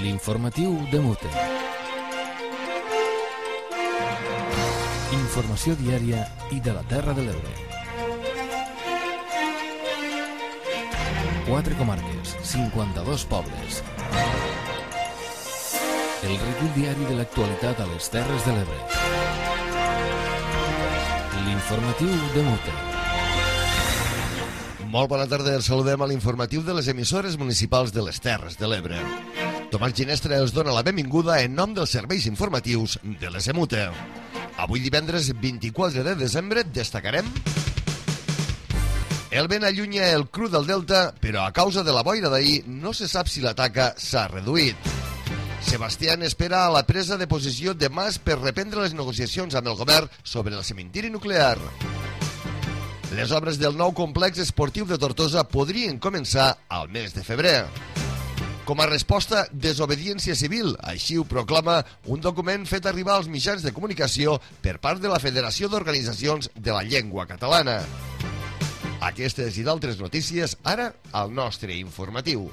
L'informatiu de Mute. Informació diària i de la Terra de l'Ebre. 4 comarques, 52 pobles. El recull diari de l'actualitat a les Terres de l'Ebre. L'informatiu de Mute. Molt bona tarda, els saludem a l'informatiu de les emissores municipals de les Terres de l'Ebre. Tomàs Ginestra els dona la benvinguda en nom dels serveis informatius de les EMUTE. Avui divendres 24 de desembre destacarem: el vent allunya el cru del Delta, però a causa de la boira d'ahir no se sap si la taca s'ha reduït. Sebastián espera a la presa de posició de Mas per reprendre les negociacions amb el govern sobre el cementiri nuclear. Les obres del nou complex esportiu de Tortosa podrien començar al mes de febrer. Com a resposta, desobediència civil, així ho proclama un document fet arribar als mitjans de comunicació per part de la Federació d'Organitzacions de la Llengua Catalana. Aquestes i d'altres notícies, ara al nostre informatiu.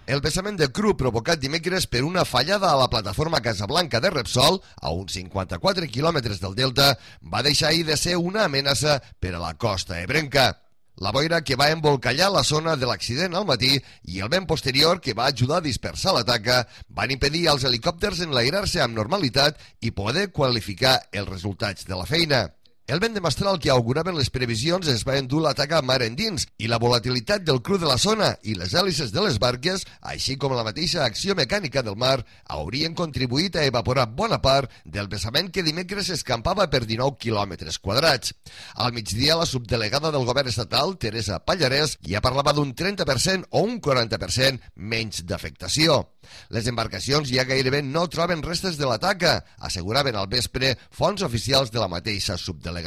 El vessament de cru provocat dimecres per una fallada a la plataforma Casablanca de Repsol, a uns 54 quilòmetres del Delta, va deixar ahir de ser una amenaça per a la costa ebrenca. La boira que va embolcallar la zona de l'accident al matí i el vent posterior que va ajudar a dispersar la taca van impedir als helicòpters enlairar-se amb normalitat i poder qualificar els resultats de la feina. El vent de mestral que auguraven les previsions es va endur la taca mar endins i la volatilitat del cru de la zona i les hèlices de les barques, així com la mateixa acció mecànica del mar, haurien contribuït a evaporar bona part del vessament que dimecres escampava per 19 quilòmetres quadrats. Al migdia, la subdelegada del govern estatal, Teresa Pallarès, ja parlava d'un 30% o un 40% menys d'afectació. Les embarcacions ja gairebé no troben restes de la taca, asseguraven al vespre fonts oficials de la mateixa subdelegació.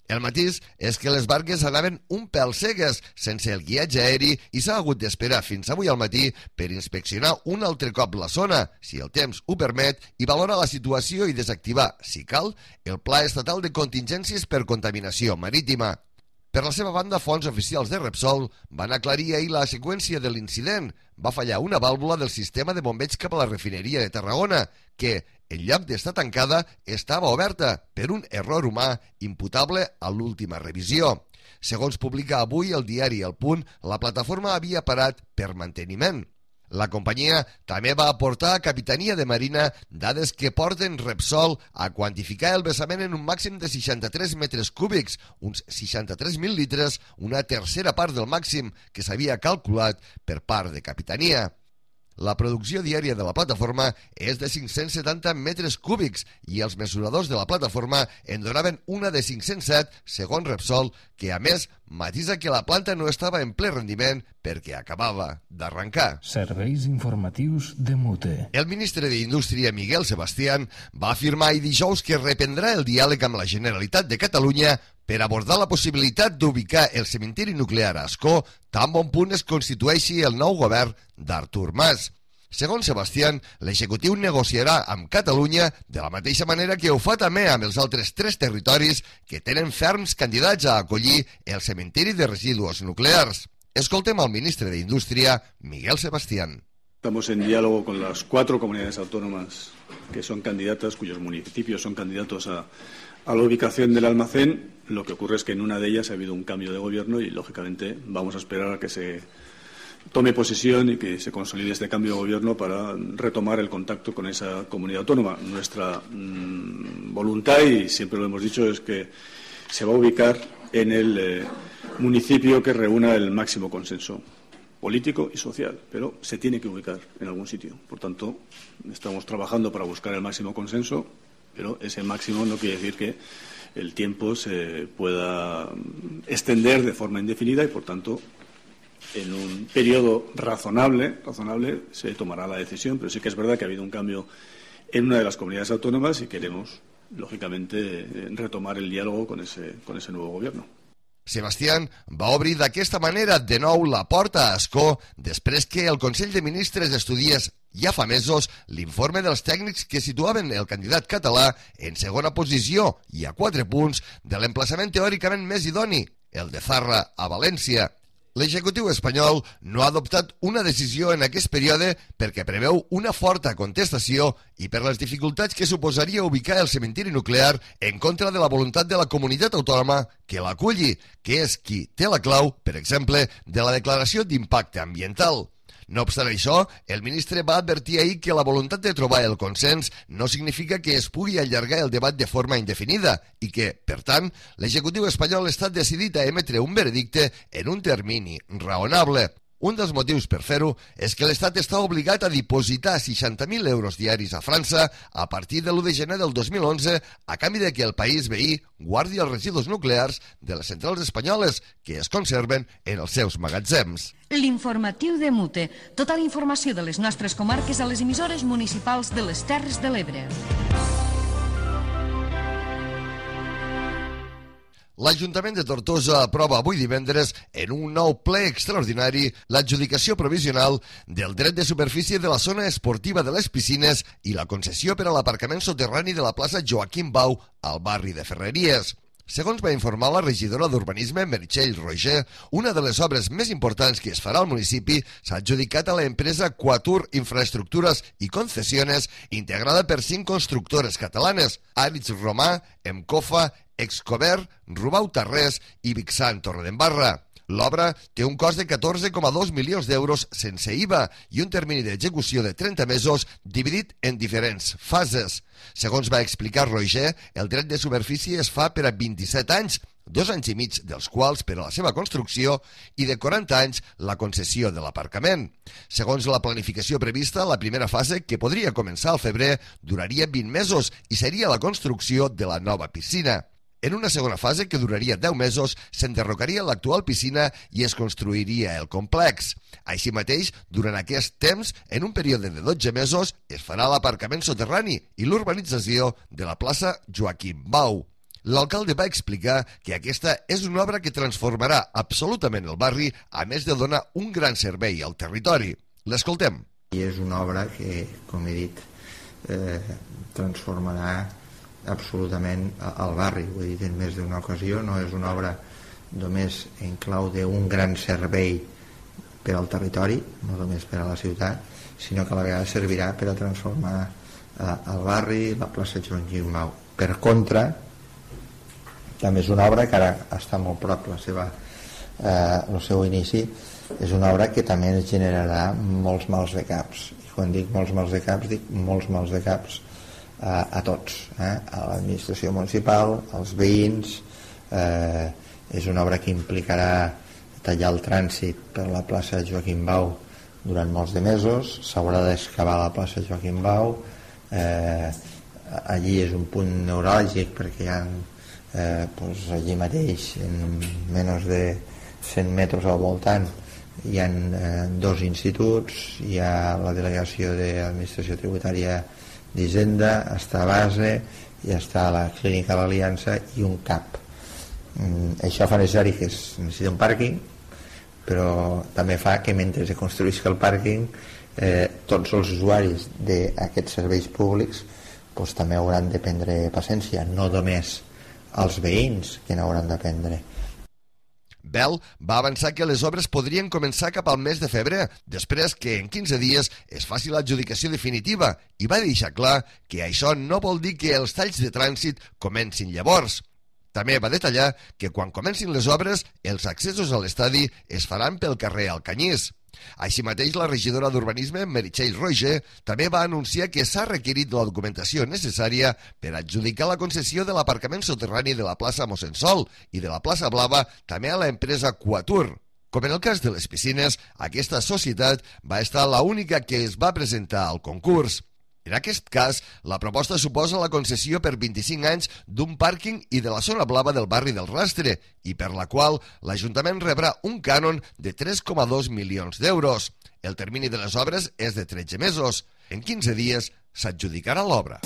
El matís és que les barques anaven un pèl cegues, sense el guiatge aeri, i s'ha hagut d'esperar fins avui al matí per inspeccionar un altre cop la zona, si el temps ho permet, i valorar la situació i desactivar, si cal, el Pla Estatal de Contingències per Contaminació Marítima. Per la seva banda, fonts oficials de Repsol van aclarir ahir la seqüència de l'incident. Va fallar una vàlvula del sistema de bombeig cap a la refineria de Tarragona, que, en lloc d'estar tancada, estava oberta per un error humà imputable a l'última revisió. Segons publica avui el diari El Punt, la plataforma havia parat per manteniment. La companyia també va aportar a Capitania de Marina dades que porten Repsol a quantificar el vessament en un màxim de 63 metres cúbics, uns 63.000 litres, una tercera part del màxim que s'havia calculat per part de Capitania. La producció diària de la plataforma és de 570 metres cúbics i els mesuradors de la plataforma en donaven una de 507, segons Repsol, que a més matisa que la planta no estava en ple rendiment perquè acabava d'arrencar. Serveis informatius de Mute. El ministre d'Indústria, Miguel Sebastián, va afirmar ahir dijous que reprendrà el diàleg amb la Generalitat de Catalunya per abordar la possibilitat d'ubicar el cementiri nuclear a Ascó tan bon punt es constitueixi el nou govern d'Artur Mas. Segons Sebastián, l'executiu negociarà amb Catalunya de la mateixa manera que ho fa també amb els altres 3 territoris que tenen ferms candidats a acollir el cementiri de residus nuclears. Escoltem al ministre d'Indústria, Miguel Sebastián. Estamos en diálogo con las 4 comunidades autónomas que son candidatas, cuyos municipios son candidatos a la ubicación del almacén. Lo que ocurre es que en una de ellas ha habido un cambio de gobierno y, lógicamente, vamos a esperar a que se tome posesión y que se consolide este cambio de gobierno para retomar el contacto con esa comunidad autónoma. Nuestra voluntad, y siempre lo hemos dicho, es que se va a ubicar en el municipio que reúna el máximo consenso político y social, pero se tiene que ubicar en algún sitio. Por tanto, estamos trabajando para buscar el máximo consenso, pero ese máximo no quiere decir que el tiempo se pueda extender de forma indefinida y, por tanto, en un periodo razonable se tomará la decisión, pero sí que es verdad que ha habido un cambio en una de las comunidades autónomas y queremos, lógicamente, retomar el diálogo con ese nuevo gobierno. Sebastián va obrir d'aquesta manera de nou la porta a Ascó després que el Consell de Ministres estudiés ja fa mesos l'informe dels tècnics que situaven el candidat català en segona posició i a 4 punts de l'emplaçament teòricament més idoni, el de Zarra a València. L'executiu espanyol no ha adoptat una decisió en aquest període perquè preveu una forta contestació i per les dificultats que suposaria ubicar el cementiri nuclear en contra de la voluntat de la comunitat autònoma que l'aculli, que és qui té la clau, per exemple, de la declaració d'impacte ambiental. No obstant això, el ministre va advertir ahir que la voluntat de trobar el consens no significa que es pugui allargar el debat de forma indefinida i que, per tant, l'executiu espanyol està decidit a emetre un veredicte en un termini raonable. Un dels motius per fer-ho és que l'Estat està obligat a dipositar 60.000 euros diaris a França a partir de l'1 de gener del 2011 a canvi de que el país veí guardi els residus nuclears de les centrals espanyoles que es conserven en els seus magatzems. L'informatiu de Mute. Tota la informació de les nostres comarques a les emissores municipals de les Terres de l'Ebre. L'Ajuntament de Tortosa aprova avui divendres en un nou ple extraordinari l'adjudicació provisional del dret de superfície de la zona esportiva de les piscines i la concessió per a l'aparcament soterrani de la plaça Joaquim Bau al barri de Ferreries. Segons va informar la regidora d'Urbanisme, Meritxell Roger, una de les obres més importants que es farà al municipi s'ha adjudicat a l'empresa Quatur Infraestructures i Concesiones, integrada per 5 constructores catalanes, Aritz Romà, Emcofa, Excover, Rubau Tarrés i Vixant Torredembarra. L'obra té un cost de 14,2 milions d'euros sense IVA i un termini d'execució de 30 mesos dividit en diferents fases. Segons va explicar Roger, el dret de superfície es fa per a 27 anys, 2 anys i mig dels quals per a la seva construcció i de 40 anys la concessió de l'aparcament. Segons la planificació prevista, la primera fase, que podria començar al febrer, duraria 20 mesos i seria la construcció de la nova piscina. En una segona fase, que duraria 10 mesos, s'enderrocaria l'actual piscina i es construiria el complex. Així mateix, durant aquest temps, en un període de 12 mesos, es farà l'aparcament soterrani i l'urbanització de la plaça Joaquim Bau. L'alcalde va explicar que aquesta és una obra que transformarà absolutament el barri, a més de donar un gran servei al territori. L'escoltem. I és una obra que, com he dit, transformarà absolutament al barri. Ho he dit en més d'una ocasió, no és una obra només en clau d'un gran servei per al territori, no només per a la ciutat, sinó que a la vegada servirà per a transformar el barri, la plaça Joaquim Bau. Per contra, també és una obra que ara està molt prop el seu inici, és una obra que també ens generarà molts mals de caps. I quan dic molts mals de caps, dic molts mals de caps a tots, a l'administració municipal, als veïns. És una obra que implicarà tallar el trànsit per la plaça Joaquim Bau durant molts de mesos, s'haurà d'excavar la plaça Joaquim Bau, allí és un punt neuràlgic perquè hi ha allí mateix, en menys de 100 metres al voltant, hi ha 2 instituts, hi ha la delegació d'administració tributària d'Hisenda, està a base, i està la clínica de l'Aliança i un CAP. Això fa necessari que es necessiti un pàrquing, però també fa que mentre es construïsca el pàrquing tots els usuaris d'aquests serveis públics també hauran de prendre paciència, no només els veïns que n'hauran de prendre. Bell va avançar que les obres podrien començar cap al mes de febrer, després que en 15 dies es faci l'adjudicació definitiva, i va deixar clar que això no vol dir que els talls de trànsit comencin llavors. També va detallar que quan comencin les obres, els accessos a l'estadi es faran pel carrer Alcanyís. Així mateix, la regidora d'Urbanisme, Meritxell Roger, també va anunciar que s'ha requerit la documentació necessària per adjudicar la concessió de l'aparcament soterrani de la plaça Mossèn Sol i de la plaça Blava també a l'empresa Quatur. Com en el cas de les piscines, aquesta societat va estar l'única que es va presentar al concurs. En aquest cas, la proposta suposa la concessió per 25 anys d'un pàrquing i de la zona blava del barri del Rastre, i per la qual l'Ajuntament rebrà un cànon de 3,2 milions d'euros. El termini de les obres és de 13 mesos. En 15 dies s'adjudicarà l'obra.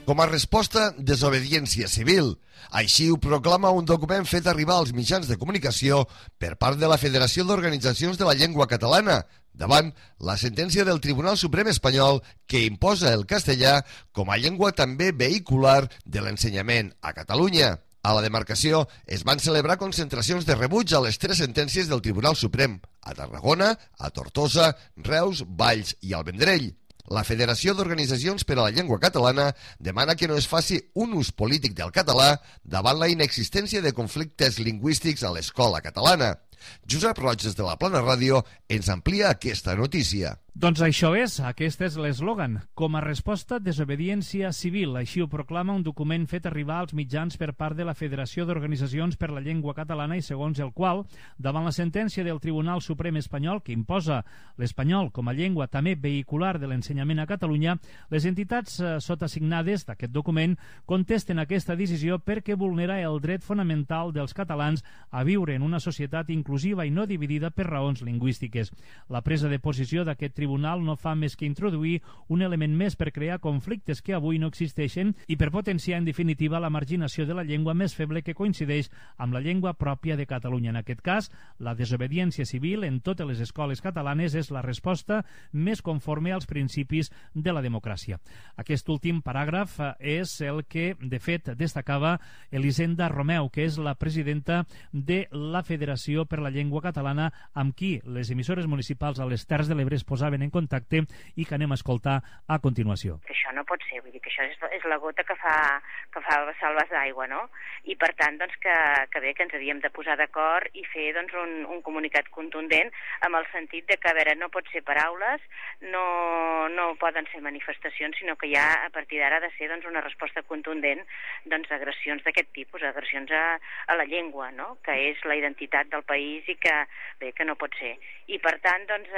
Com a resposta, desobediència civil. Així ho proclama un document fet arribar als mitjans de comunicació per part de la Federació d'Organitzacions de la Llengua Catalana, davant la sentència del Tribunal Suprem espanyol que imposa el castellà com a llengua també vehicular de l'ensenyament a Catalunya. A la demarcació es van celebrar concentracions de rebuig a les 3 sentències del Tribunal Suprem, a Tarragona, a Tortosa, Reus, Valls i al Vendrell. La Federació d'Organitzacions per a la Llengua Catalana demana que no es faci un ús polític del català davant la inexistència de conflictes lingüístics a l'escola catalana. Josep Roig, des de la Plana Ràdio, ens amplia aquesta notícia. Doncs això és, aquest és l'eslògan. Com a resposta, desobediència civil. Així ho proclama un document fet arribar als mitjans per part de la Federació d'Organitzacions per la Llengua Catalana i segons el qual, davant la sentència del Tribunal Suprem espanyol que imposa l'espanyol com a llengua també vehicular de l'ensenyament a Catalunya, les entitats sotasignades d'aquest document contesten aquesta decisió perquè vulnera el dret fonamental dels catalans a viure en una societat inclusiva i no dividida per raons lingüístiques. La presa de posició d'aquest tribunal no fa més que introduir un element més per crear conflictes que avui no existeixen i per potenciar en definitiva la marginació de la llengua més feble que coincideix amb la llengua pròpia de Catalunya. En aquest cas, la desobediència civil en totes les escoles catalanes és la resposta més conforme als principis de la democràcia. Aquest últim paràgraf és el que, de fet, destacava Elisenda Romeu, que és la presidenta de la Federació per la Llengua Catalana, amb qui les emissores municipals a les Terres de l'Ebre es posaven en contacte i que anem a escoltar a continuació. Que això no pot ser, vull dir que això és la gota que fa vessar el vas d'aigua, no? I per tant, doncs, que bé, que ens havíem de posar d'acord i fer doncs, un comunicat contundent amb el sentit de que, a veure, no pot ser paraules, no poden ser manifestacions, sinó que ja a partir d'ara ha de ser doncs, una resposta contundent doncs, a agressions d'aquest tipus, agressions a la llengua, no? Que és la identitat del país i que, bé, que no pot ser. I per tant, doncs,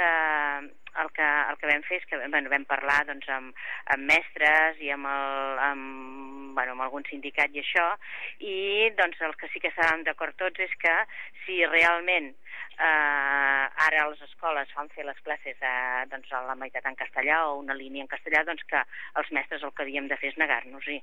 el que vam fer és que vam parlar doncs, amb mestres i amb algun sindicat i això, i doncs, el que sí que estàvem d'acord tots és que si realment ara les escoles fan fer les classes doncs, a la meitat en castellà o una línia en castellà, doncs que els mestres el que havíem de fer és negar-nos-hi.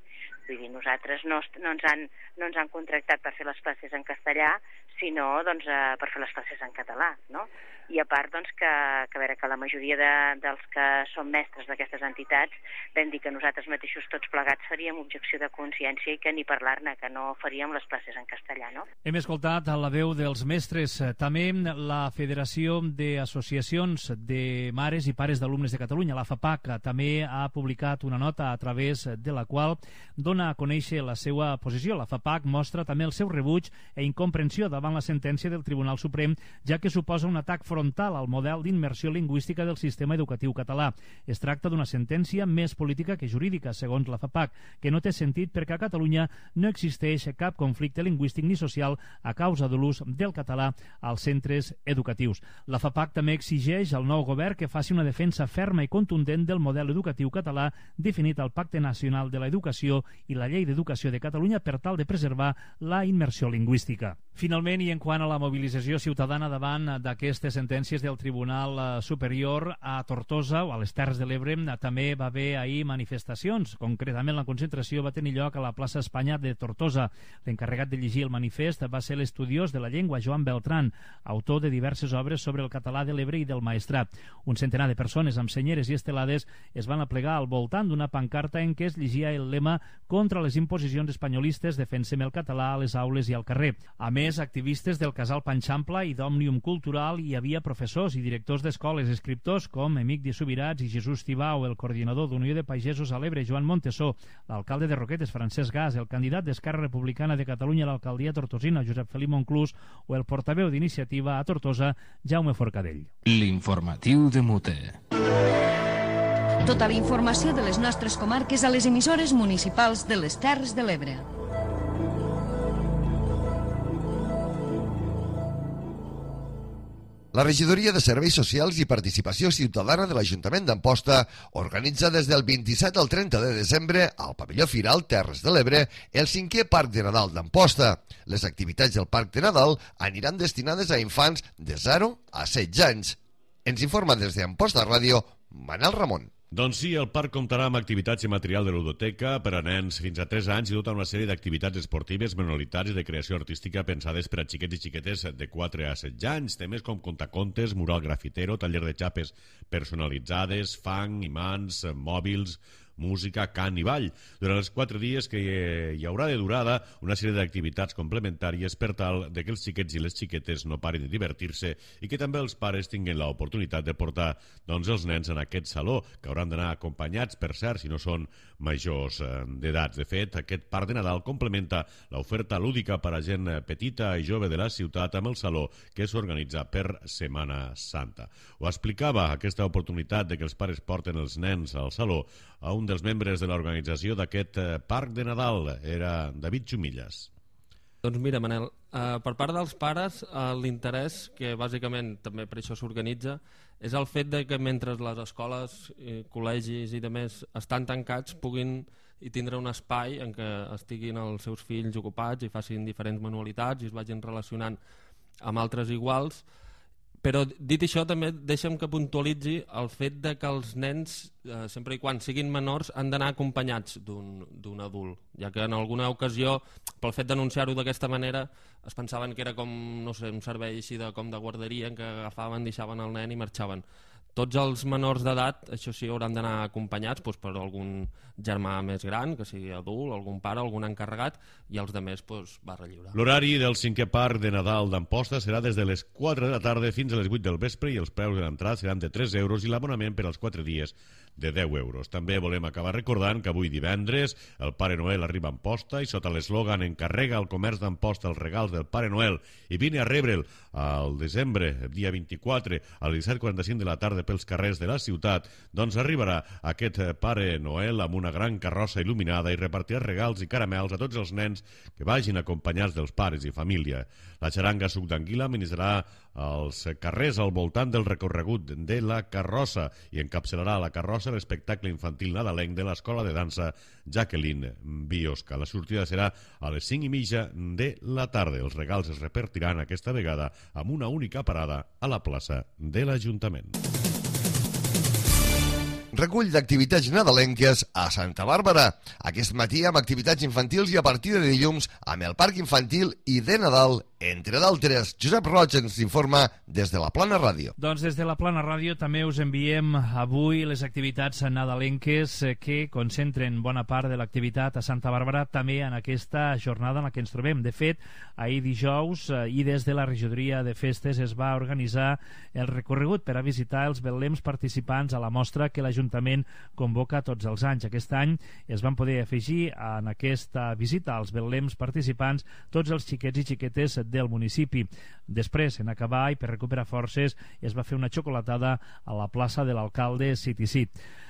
Vull dir, nosaltres no ens han contractat per fer les classes en castellà, sinó doncs, per fer les classes en català, no? I a part doncs, que la majoria dels que són mestres d'aquestes entitats vam dir que nosaltres mateixos tots plegats faríem objecció de consciència i que ni parlar-ne, que no faríem les classes en castellà, no? Hem escoltat la veu dels mestres. També la Federació d'Associacions de Mares i Pares d'Alumnes de Catalunya, la FAPAC, també ha publicat una nota a través de la qual dona a conèixer la seva posició. La FAPAC mostra també el seu rebuig i incomprensió davant la sentència del Tribunal Suprem, ja que suposa un atac frontal al model d'immersió lingüística del sistema educatiu català. Es tracta d'una sentència més política que jurídica, segons la FAPAC, que no té sentit perquè a Catalunya no existeix cap conflicte lingüístic ni social a causa de l'ús del català als centres educatius. La FAPAC també exigeix al nou govern que faci una defensa ferma i contundent del model educatiu català definit al Pacte Nacional de l'Educació i la Llei d'Educació de Catalunya per tal de preservar la immersió lingüística. Finalment, i en quant a la mobilització ciutadana davant d'aquestes sentències del Tribunal Superior, a Tortosa o a les Terres de l'Ebre també va haver ahir manifestacions. Concretament, la concentració va tenir lloc a la plaça Espanya de Tortosa. L'encarregat de llegir el manifest va ser l'estudiós de la llengua Joan Beltran, autor de diverses obres sobre el català de l'Ebre i del Maestrat. Un centenar de persones amb senyeres i estelades es van aplegar al voltant d'una pancarta en què es llegia el lema «Contra les imposicions espanyolistes, defensem el català a les aules i al carrer». A més, activistes del Casal Panxampla i d'Òmnium Cultural hi havia professors i directors d'escoles, escriptors com Emic de Subirats i Jesús Tibau, el coordinador d'Unió de Pagesos a l'Ebre, Joan Montesó, l'alcalde de Roquetes, Francesc Gas, el candidat d'Esquerra Republicana de Catalunya a l'alcaldia tortosina, Josep Felip Monclús, o el portaveu d'Iniciativa a Tortosa, Jaume Forcadell. L'informatiu de Mute. Tota la informació de les nostres comarques a les emissores municipals de les Terres de l'Ebre. La Regidoria de Serveis Socials i Participació Ciutadana de l'Ajuntament d'Amposta organitza des del 27 al 30 de desembre al pavelló Firal Terres de l'Ebre el 5è Parc de Nadal d'Amposta. Les activitats del Parc de Nadal aniran destinades a infants de 0 a 16 anys. Ens informa des d'Amposta Ràdio, Manel Ramon. Doncs sí, el parc comptarà amb activitats i material de ludoteca per a nens fins a 3 anys i tota una sèrie d'activitats esportives, manualitats i de creació artística pensades per a xiquets i xiquetes de 4 a 16 anys. Temes com contacontes, mural grafitero, taller de xapes personalitzades, fang, imants, mòbils, música, cant i ball. Durant els 4 dies que hi haurà de durada una sèrie d'activitats complementàries per tal de que els xiquets i les xiquetes no parin de divertir-se i que també els pares tinguin l'oportunitat de portar els nens en aquest saló, que hauran d'anar acompanyats, per cert, si no són majors d'edat. De fet, aquest Parc de Nadal complementa l'oferta lúdica per a gent petita i jove de la ciutat amb el saló que s'organitza per Setmana Santa. Ho explicava aquesta oportunitat de que els pares porten els nens al saló a un dels membres de l'organització d'aquest Parc de Nadal, era David Xumillas. Doncs mira, Manel, per part dels pares l'interès, que bàsicament també per això s'organitza, és el fet de que mentre les escoles, col·legis i demés estan tancats puguin i tindre un espai en què estiguin els seus fills ocupats i facin diferents manualitats i es vagin relacionant amb altres iguals. Però dit això també deixa'm que puntualitzi el fet de que els nens, sempre i quan siguin menors, han d'anar acompanyats d'un adult, ja que en alguna ocasió, pel fet d'anunciar-ho d'aquesta manera, es pensaven que era com, no sé, un servei així com de guarderia en què agafaven, deixaven el nen i marxaven. Tots els menors d'edat, això sí, hauran d'anar acompanyats per algun germà més gran, que sigui adult, algun pare, algun encarregat, i els altres barra lliure. L'horari del 5è Parc de Nadal d'Amposta serà des de les 4 de la tarda fins a les 8 del vespre i els preus de l'entrada seran de 3 euros i l'abonament per als 4 dies de 10 euros. També volem acabar recordant que avui divendres el Pare Noel arriba a Amposta i sota l'eslògan "Encarrega al comerç d'Amposta els regals del Pare Noel i vine a rebre'l al desembre, dia 24, a les 17:45 de la tarda pels carrers de la ciutat, doncs arribarà aquest Pare Noel amb una gran carrossa il·luminada i repartirà regals i caramels a tots els nens que vagin acompanyats dels pares i família. La xaranga Suc d'Anguila ministrarà als carrers al voltant del recorregut de la carrossa i encapçalarà la carrossa l'espectacle infantil nadalenc de l'Escola de Dansa Jacqueline Biosca. La sortida serà a les 5:30 de la tarda. Els regals es repartiran aquesta vegada amb una única parada a la plaça de l'Ajuntament. Recull d'activitats nadalenques a Santa Bàrbara. Aquest matí amb activitats infantils i a partir de dilluns amb el Parc Infantil i de Nadal, entre d'altres. Josep Roig ens informa des de la Plana Ràdio. Doncs des de la Plana Ràdio també us enviem avui les activitats nadalenques que concentren bona part de l'activitat a Santa Bàrbara també en aquesta jornada en la que ens trobem. De fet, ahir dijous i des de la regidoria de festes es va organitzar el recorregut per a visitar els betlems participants a la mostra que l'Ajuntament convoca tots els anys. Aquest any es van poder afegir en aquesta visita als betlems participants tots els xiquets i xiquetes del municipi. Després, en acabar i per recuperar forces, es va fer una xocolatada a la plaça de l'alcalde City.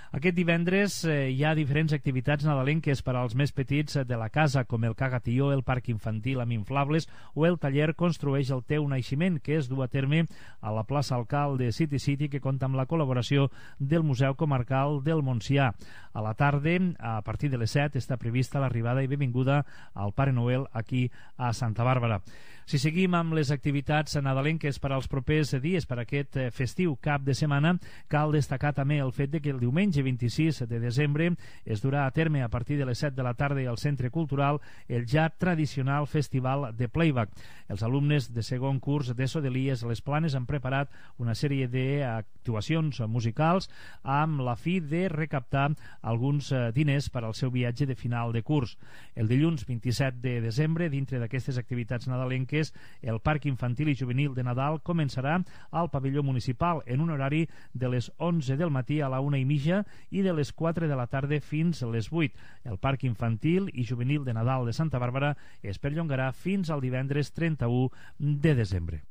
Aquest divendres hi ha diferents activitats nadalenques per als més petits de la casa, com el Cagatió, el parc infantil amb inflables o el taller Construeix el teu naixement, que es du a terme a la plaça Alcalde City, que compta amb la col·laboració del Museu Comarcal del Montsià. A la tarda, a partir de les 7, està prevista l'arribada i benvinguda al Pare Noel aquí a Santa Bàrbara. Si seguim amb les activitats nadalenques per als propers dies, per aquest festiu cap de setmana, cal destacar també el fet de que el diumenge 26 de desembre es durà a terme a partir de les 7 de la tarda al Centre Cultural el ja tradicional Festival de Playback. Els alumnes de segon curs d'ESO de l'IES Les Planes han preparat una sèrie d'actuacions musicals amb la fi de recaptar alguns diners per al seu viatge de final de curs. El dilluns 27 de desembre, dintre d'aquestes activitats nadalenques, el Parc Infantil i Juvenil de Nadal començarà al pavelló municipal en un horari de les 11 del matí a la 1:30 i de les 4 de la tarda fins a les 8. El Parc Infantil i Juvenil de Nadal de Santa Bàrbara es perllongarà fins al divendres 31 de desembre.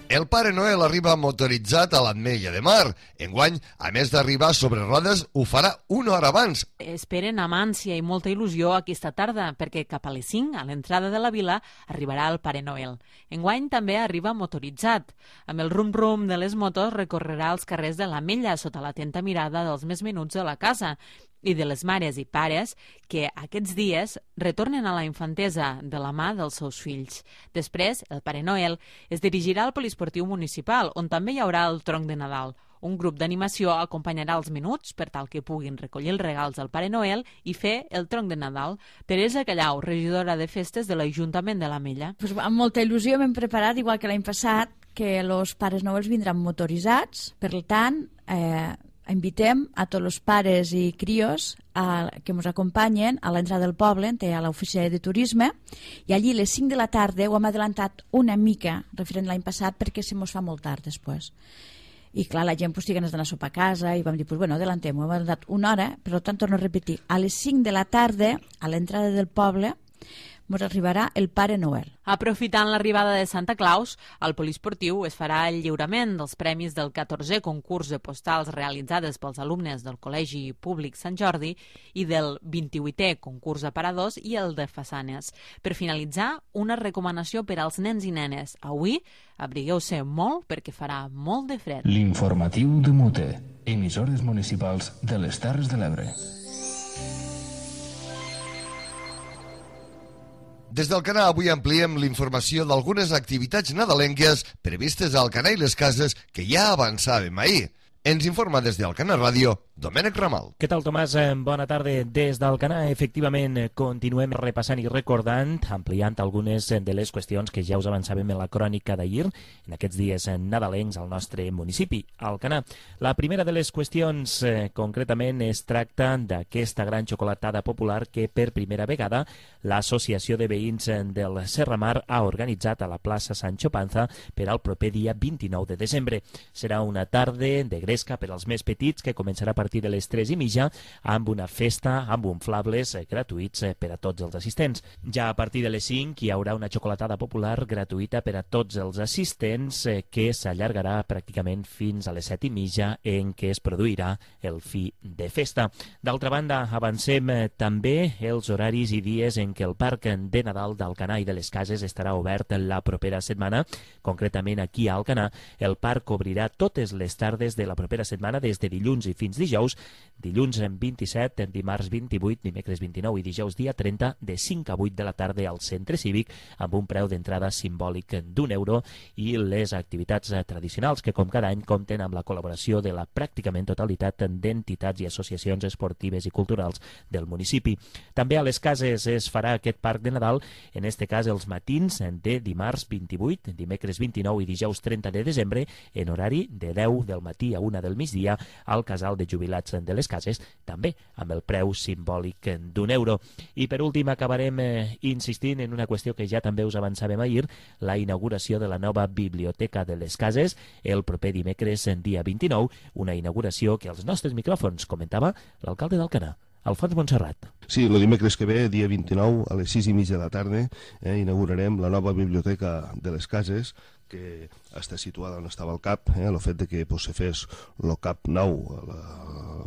El Pare Noel arriba motoritzat a l'Ametlla de Mar. Enguany, a més d'arribar sobre rodes, ho farà una hora abans. Esperen amb ànsia i molta il·lusió aquesta tarda, perquè cap a les 5, a l'entrada de la vila, arribarà el Pare Noel. Enguany també arriba motoritzat. Amb el rum-rum de les motos recorrerà els carrers de l'Ametlla sota l'atenta mirada dels més menuts de la casa i de les mares i pares que aquests dies retornen a la infantesa de la mà dels seus fills. Després, el Pare Noel es dirigirà al poliesportiu municipal, on també hi haurà el tronc de Nadal. Un grup d'animació acompanyarà els menuts per tal que puguin recollir els regals del Pare Noel i fer el tronc de Nadal. Teresa Callau, regidora de festes de l'Ajuntament de l'Ametlla. Pues amb molta il·lusió m'hem preparat, igual que l'any passat, que els Pares Noels vindran motoritzats, per tant, invitem a tots els pares i crios que ens acompanyen a l'entrada del poble, a l'oficina de turisme, i allí a les 5 de la tarda ho hem adelantat una mica, referent l'any passat, perquè se mos fa molt tard després. I clar, la gent té ganes d'anar a sopar a casa i vam dir, bueno, adelantem, ho hem adelantat una hora, per tant, torno a repetir, a les 5 de la tarda, a l'entrada del poble, ens arribarà el Pare Noel. Aprofitant l'arribada de Santa Claus, al poliesportiu es farà el lliurament dels premis del 14è concurs de postals realitzades pels alumnes del Col·legi Públic Sant Jordi i del 28è concurs d'aparadors i el de façanes. Per finalitzar, una recomanació per als nens i nenes. Avui, abrigueu-se molt perquè farà molt de fred. L'informatiu de Mute, emissores municipals de les Terres de l'Ebre. Des del Canà avui ampliem l'informació d'algunes activitats nadalenques previstes al Canà i les Cases que ja avançàvem ahir. Ens informa des del Canà Ràdio, Domènec Ramal. Què tal, Tomàs? Bona tarda. Des del Canà, efectivament, continuem repassant i recordant, ampliant algunes de les qüestions que ja us avançàvem en la crònica d'ahir, en aquests dies nadalencs al nostre municipi, al Canà. La primera de les qüestions, concretament, es tracta d'aquesta gran xocolatada popular que, per primera vegada, l'Associació de Veïns del Serramar ha organitzat a la plaça Sancho Panza per al proper dia 29 de desembre. Serà una tarda de gresca per als més petits que començarà a partir de les 3:30 amb una festa amb inflables gratuïts per a tots els assistents. Ja a partir de les 5 hi haurà una xocolatada popular gratuïta per a tots els assistents que s'allargarà pràcticament fins a les 7:30 en què es produirà el fi de festa. D'altra banda, avancem també els horaris i dies en què el Parc de Nadal d'Alcanar i de les Cases estarà obert la propera setmana. Concretament aquí a Alcanar, el parc obrirà totes les tardes de la propera setmana des de dilluns i fins dijous, dilluns 27, dimarts 28, dimecres 29 i dijous dia 30 de 5 a 8 de la tarda al centre cívic amb un preu d'entrada simbòlic d'€1 i les activitats tradicionals que com cada any compten amb la col·laboració de la pràcticament totalitat d'entitats i associacions esportives i culturals del municipi. També a les Cases es farà aquest Parc de Nadal, en este cas els matins de dimarts 28, dimecres 29 i dijous 30 de desembre en horari de 10 del matí a 1 del migdia al casal de jubilats de les Cases, també amb el preu simbòlic d'€1. I per últim acabarem insistint en una qüestió que ja també us avançàvem ahir, la inauguració de la nova Biblioteca de les Cases el proper dimecres dia 29, una inauguració que als nostres micròfons comentava l'alcalde d'Alcanar, Alfons Montserrat. Sí, el dimecres que ve, dia 29, a les 6:30 de la tarda, inaugurarem la nova Biblioteca de les Cases, que està situada on estava el CAP. El fet de que se fes el CAP nou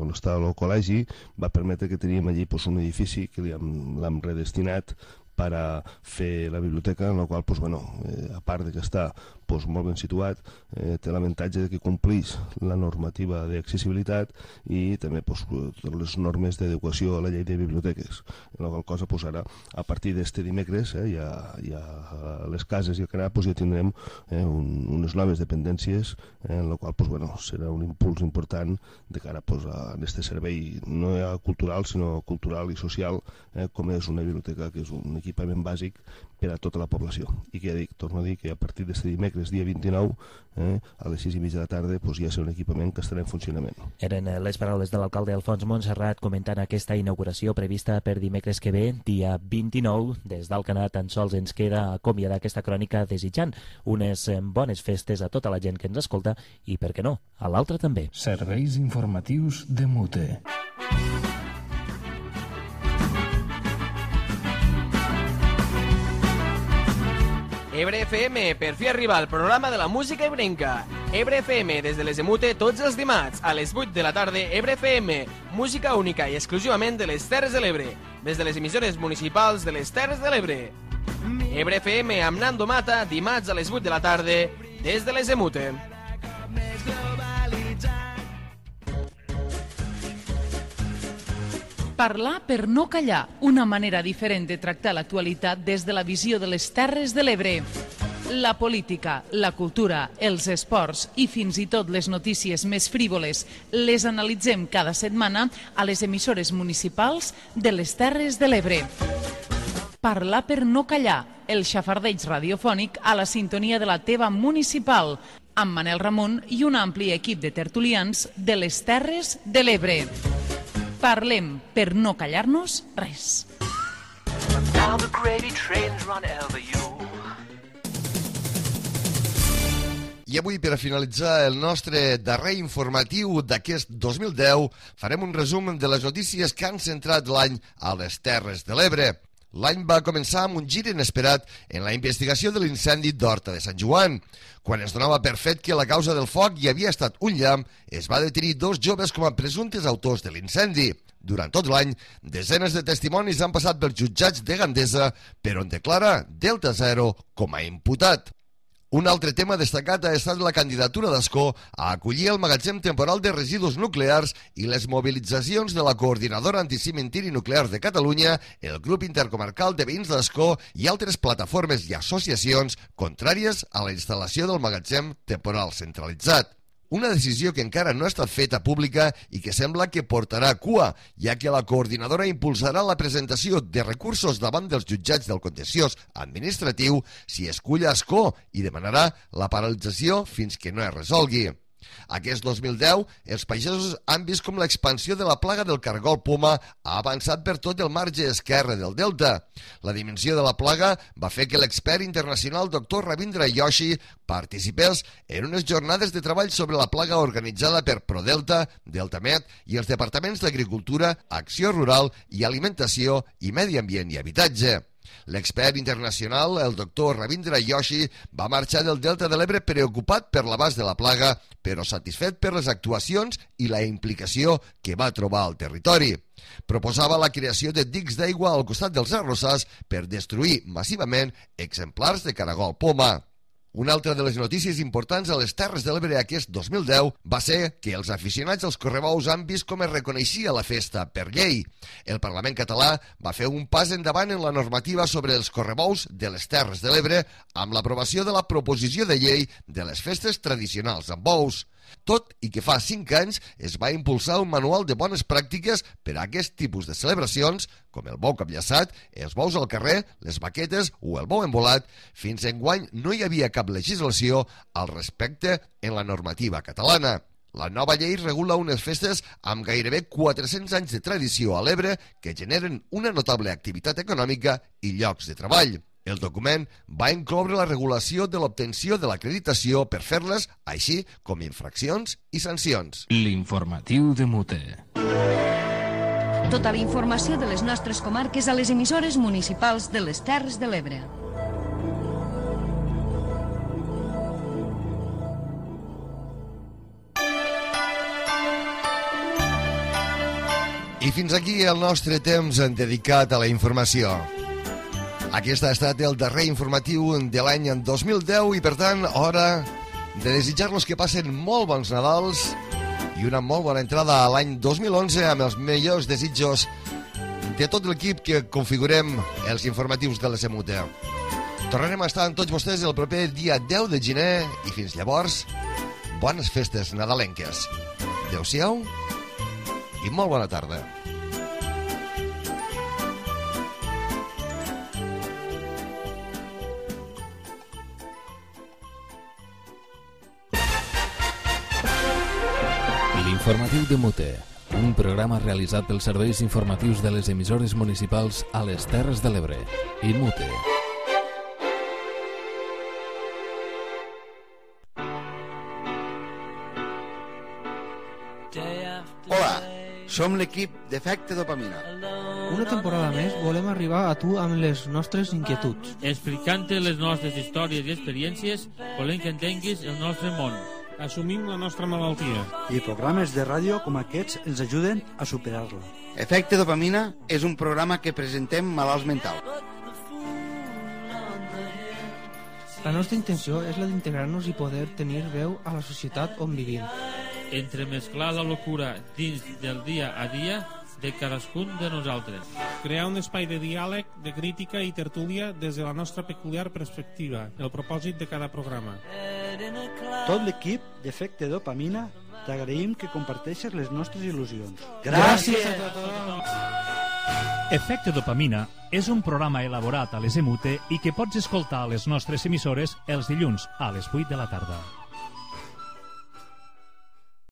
on està el col·legi va permetre que teníem allí un edifici que l'hem redestinat per a fer la biblioteca, en la qual, a part de que està molt ben situat, té l'avantatge que complís la normativa d'accessibilitat i també totes les normes d'adequació a la llei de biblioteques. En la qual cosa, ara, a partir d'este dimecres, ja a les Cases i al Canà, ja tindrem unes noves dependències, en la qual serà un impuls important de cara a aquest servei no cultural, sinó cultural i social, com és una biblioteca, que és un equipament bàsic per a tota la població. I que ja dic, torno a dir que a partir d'aquest dimecres, dia 29, a les 6:30 de la tarda, ja serà un equipament que estarà en funcionament. Eren les paraules de l'alcalde Alfons Montserrat comentant aquesta inauguració prevista per dimecres que ve, dia 29. Des d'Alcanar tan sols ens queda acomiadar aquesta crònica desitjant unes bones festes a tota la gent que ens escolta i, per què no, a l'altre també. Serveis informatius de Mute. Ebre FM, per fi arriba el programa de la música ebrenca. Ebre FM, des de les de Mute, tots els dimarts, a les 8 de la tarda, Ebre FM, música única i exclusivament de les Terres de l'Ebre, des de les emissores municipals de les Terres de l'Ebre. Ebre FM amb Nando Mata, dimarts a les 8 de la tarda, des de les de Mute. Parlar per no callar, una manera diferent de tractar l'actualitat des de la visió de les Terres de l'Ebre. La política, la cultura, els esports i fins i tot les notícies més frívoles les analitzem cada setmana a les emissores municipals de les Terres de l'Ebre. Parlar per no callar, el xafardeig radiofònic a la sintonia de la teva municipal. amb Manel Ramon i un ampli equip de tertulians de les Terres de l'Ebre. Parlem per no callar-nos res. I avui, per a finalitzar el nostre darrer informatiu d'aquest 2010, farem un resum de les notícies que han centrat l'any a les Terres de l'Ebre. L'any va començar amb un gir inesperat en la investigació de l'incendi d'Horta de Sant Joan. Quan es donava per fet que la causa del foc hi havia estat un llamp, es va detenir 2 joves com a presumptes autors de l'incendi. Durant tot l'any, desenes de testimonis han passat pels jutjats de Gandesa, però en declara Delta Zero com a imputat. Un altre tema destacat ha estat la candidatura d'Ascó a acollir el magatzem temporal de residus nuclears i les mobilitzacions de la Coordinadora Anticimentiri Nuclear de Catalunya, el Grup Intercomarcal de Veïns d'Ascó i altres plataformes i associacions contràries a la instal·lació del magatzem temporal centralitzat. Una decisió que encara no ha estat feta pública i que sembla que portarà cua, ja que la coordinadora impulsarà la presentació de recursos davant dels jutjats del contenciós administratiu si escull Ascó i demanarà la paralització fins que no es resolgui. Aquest 2010, els pagesos han vist com l'expansió de la plaga del cargol poma ha avançat per tot el marge esquerre del delta. La dimensió de la plaga va fer que l'expert internacional Dr. Ravindra Joshi participés en unes jornades de treball sobre la plaga organitzada per ProDelta, DeltaMed i els departaments d'Agricultura, Acció Rural i Alimentació i Medi Ambient i Habitatge. L'expert internacional, el doctor Ravindra Joshi, va marxar del Delta de l'Ebre preocupat per l'abast de la plaga, però satisfet per les actuacions i la implicació que va trobar al territori. Proposava la creació de dics d'aigua al costat dels arrossars per destruir massivament exemplars de caragol poma. Una altra de les notícies importants a les Terres de l'Ebre aquest 2010 va ser que els aficionats als correbous han vist com es reconeixia la festa per llei. El Parlament català va fer un pas endavant en la normativa sobre els correbous de les Terres de l'Ebre amb l'aprovació de la proposició de llei de les festes tradicionals amb bous. Tot i que fa 5 anys es va impulsar un manual de bones pràctiques per a aquest tipus de celebracions, com el bou capllaçat, els bous al carrer, les baquetes o el bou embolat, fins enguany no hi havia cap legislació al respecte en la normativa catalana. La nova llei regula unes festes amb gairebé 400 anys de tradició a l'Ebre que generen una notable activitat econòmica i llocs de treball. El document va incloure la regulació de l'obtenció de l'acreditació per fer-les, així com infraccions i sancions. L'informatiu de Mute. Tota la informació de les nostres comarques a les emissores municipals de les Terres de l'Ebre. I fins aquí el nostre temps dedicat a la informació. Aquest ha estat el darrer informatiu de l'any 2010 i, per tant, hora de desitjar-los que passen molt bons Nadals i una molt bona entrada a l'any 2011 amb els millors desitjos de tot l'equip que configurem els informatius de la SEMUTE. Tornarem a estar amb tots vostès el proper dia 10 de gener i fins llavors, bones festes nadalenques. Adéu-siau i molt bona tarda. L'informatiu de Mute, un programa realitzat pels serveis informatius de les emissores municipals a les Terres de l'Ebre i Mute. Hola, som l'equip d'Efecte Dopamina. Una temporada més volem arribar a tu amb les nostres inquietuds. Explicant-te les nostres històries i experiències, volem que entenguis el nostre món. Assumim la nostra malaltia. I programes de ràdio com aquests ens ajuden a superar-la. Efecte Dopamina és un programa que presentem malalts mentals. La nostra intenció és la d'integrar-nos i poder tenir veu a la societat on vivim. Entremesclar la locura dins del dia a dia de cadascun de nosaltres. Crear un espai de diàleg, de crítica i tertúlia des de la nostra peculiar perspectiva, el propòsit de cada programa. Tot l'equip d'Efecte Dopamina t'agraïm que comparteixes les nostres il·lusions. Gràcies a tothom! Efecte Dopamina és un programa elaborat a les EMUTE i que pots escoltar a les nostres emissores els dilluns a les 8 de la tarda.